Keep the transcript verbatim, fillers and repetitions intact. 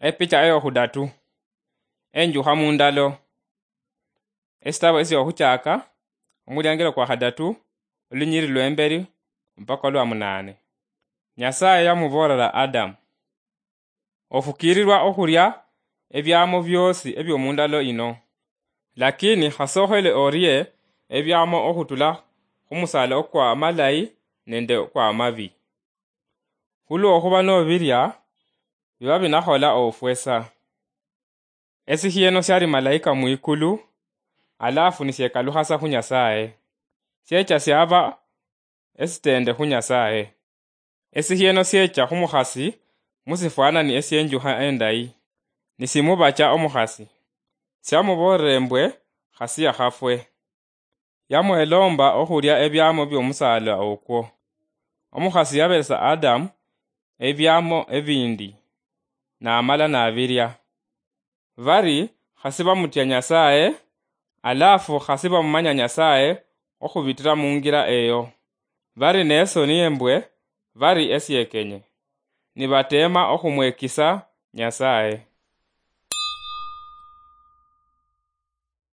Epicha eyokhudatu. Enjukha mundalo. Esitabo esyokhuchaka, omuliangelo kwa khadatu, olunyiri lwemberi mpaka olwa munane. Nyasaye yamuboolera Adamu, ofukiirirwa okhulia ebiamo biosi ebiomundalo ino, lakini khasokhele orie ebiamo okhutula khumusala okwa amalayi nende okwa amabi. Khulwokhuba nobiria, biba binakhola ofwesa. Esikhieno siali malaika mwikulu, alafu nisiekalukhasa khu Nyasaye. Siecha siaba esitende khu Nyasaye. Esikhieno siecha khumukhasi musifwanani esienjukha endayi, nisimubacha omukhasi. Siamuboolere mbwe khasi yakhafwe. Yamwelomba okhulia ebiamo biomusala okwo. Omukhasi yaberesa Adamu ebiamo ebindi, namala nabiria. Bari khasi bamutya Nyasaye, alafu khasi bamumanya Nyasaye okhubitira mungira eyo. Bari nesoni embwe, bari esiekenye, nibatema okhumwekisa Nyasaye.